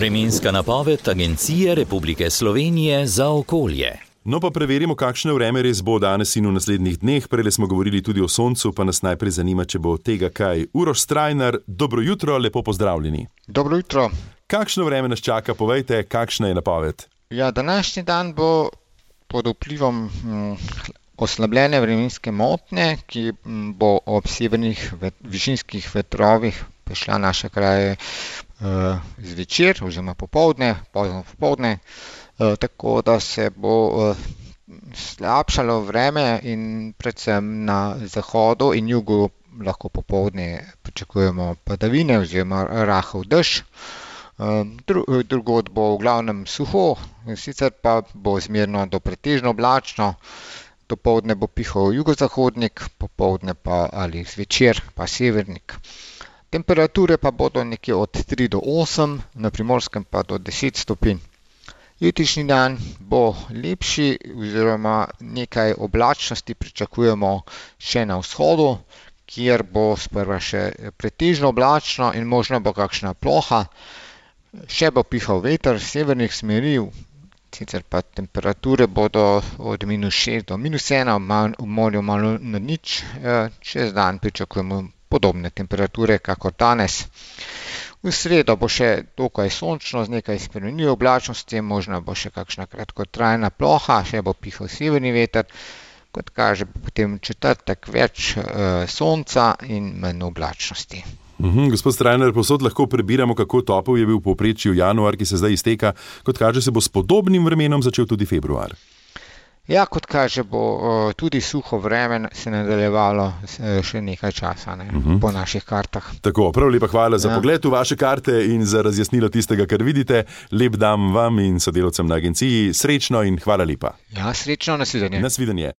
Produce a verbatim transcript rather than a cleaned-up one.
Vremenska napoved Agencije Republike Slovenije za okolje. No pa preverimo, kakšno vreme res bo danes in v naslednjih dneh. Prejle smo govorili tudi o soncu, pa nas najprej zanima, če bo tega kaj. Uroš Strajnar, dobro jutro, lepo pozdravljeni. Dobro jutro. Kakšno vreme nas čaka, povejte, kakšna je napoved? Ja, današnji dan bo pod vplivom hm, oslabljene vremenske motnje, ki bo ob severnih vet, višinskih vetrovih prišla naše kraje uh, zvečer oziroma popoldne, pozno popoldne, uh, tako da se bo uh, slabšalo vreme in predvsem na zahodu in jugu lahko popoldne pričakujemo padavine oziroma rahel dež. Drugod bo v glavnem suho, sicer pa bo zmerno do pretežno oblačno, dopoldne bo pihal jugozahodnik, popoldne pa ali zvečer pa severnik. Temperature pa bodo nekje od tri do osem, na Primorskem pa do deset stopinj. Jutrišnji dan bo lepši oziroma nekaj oblačnosti pričakujemo še na vzhodu, kjer bo sprva še pretežno oblačno in možno bo kakšna ploha. Še bo pihal veter severnih smeri, sicer pa temperature bodo od minus šest do minus ena, v morju malo nad nič. Čez dan pričakujemo podobne temperature, kakor danes. V sredo bo še dokaj sončno z nekaj spremenljivo oblačnosti, možno bo še kakšna kratkotrajna ploha, še bo pihal severni veter. Kot kaže, potem četrtek več e, sonca in manj oblačnosti. Uhum, gospod Strajnar, posod lahko prebiramo, kako topel je bil v povprečju januar, ki se zdaj izteka. Kot kaže, se bo s podobnim vremenom začel tudi februar. Ja, kot kaže, bo uh, tudi suho vreme se nadaljevalo še nekaj časa, ne, uhum. po naših kartah. Tako, prav lepa hvala za ja. pogled v vaše karte in za razjasnilo tistega, kar vidite. Lep dan vam in sodelavcem na agenciji. Srečno in hvala lepa. Ja, srečno, nasvidenje. Nasvidenje.